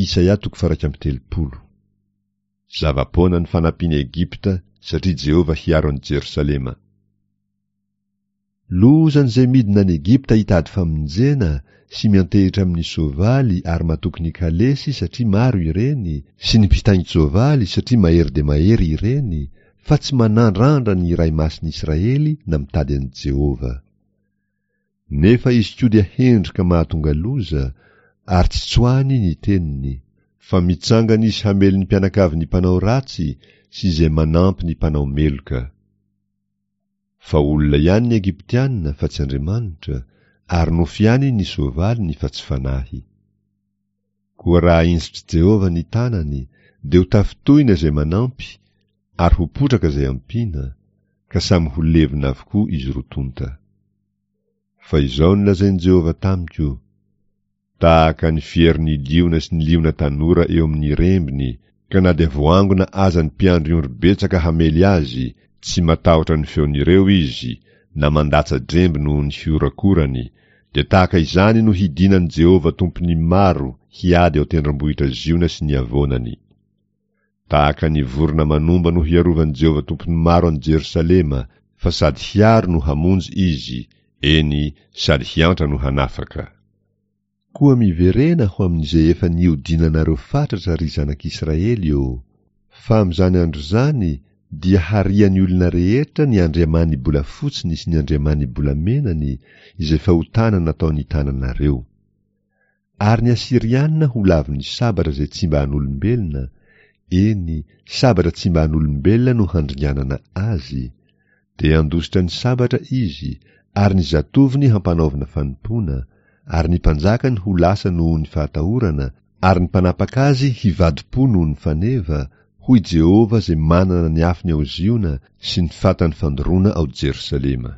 Isaia toko faha-31. Zava-poana ny fanampian'i Egypta satria Jehovah hiaro an'i Jerosalema. Lozan'izay midina any Egypta hitady famonjena sy miantehitra amin'ny soavaly ary matoky ny kalesy satria maro ireny, sy ny mpitaingin-tsoavaly satria mahery dia mahery ireny, fa tsy manandrandra ny Iray Masin'ny Israely na mitady an'i Jehovah. Nefa izy koa dia hendry ka mahatonga loza, ary tsy tsoahiny ny teniny, fa mitsangana izy hamely ny mpianakavin'ny mpanao ratsy sy izay manampy ny mpanao meloka. Fa olona ihany ny Egyptiana fa tsy Andriamanitra, ary nofo ihany ny soavaliny fa tsy fanahy. Koa raha ahinjitr'i Jehovah ny tanany, dia ho tafintohina izay manampy, ary ho potraka izay ampiana, ka samy ho levona avokoa izy roa tonta. Fa izao no lazain'i Jehovah tamiko, Tahaka ny fierin'ny liona sy ny liona tanora eo amin'ny rembiny, ka na dia voangona aza ny mpiandry ondry betsaka hamely azy, tsy matahotra ny feon'ireo izy, na mandatsa-dremby noho ny fiorakorany, dia tahaka izany no hidinan'i Jehovah Tompon'ny maro hiady ao an-tendrombohitra Ziona sy ny havoanany. Tahaka ny vorona manomba no hiarovan'i Jehovah Tompon'ny maro an'i Jerosalema, fa sady hiaro no hamonjy izy, eny, sady hiantra no hanafaka. Koa miverena ho amin'izay efa nihodinanareo fatratra, ry zanak'Israely ô! Fa amin'izany andro izany dia harian'ny olona rehetra ny andriamani-bolafotsiny sy ny andriamani-bolamenany, izay fahotana nataon'ny tananareo. Ary ny Asyriana ho lavin'ny sabatra izay tsy mba an'olombelona, eny, sabatra tsy mba an'olombelona no handringanana azy, dia handositra ny sabatra izy, ary ny zatovony hampanaovina fanompoana, ary ny mpanjakany ho lasa noho ny fahatahorana, ary ny mpanapaka azy hivadi-po noho ny faneva, hoy Jehovah izay manana ny afony ao Ziona sy ny fatany fandoroana ao Jerosalema.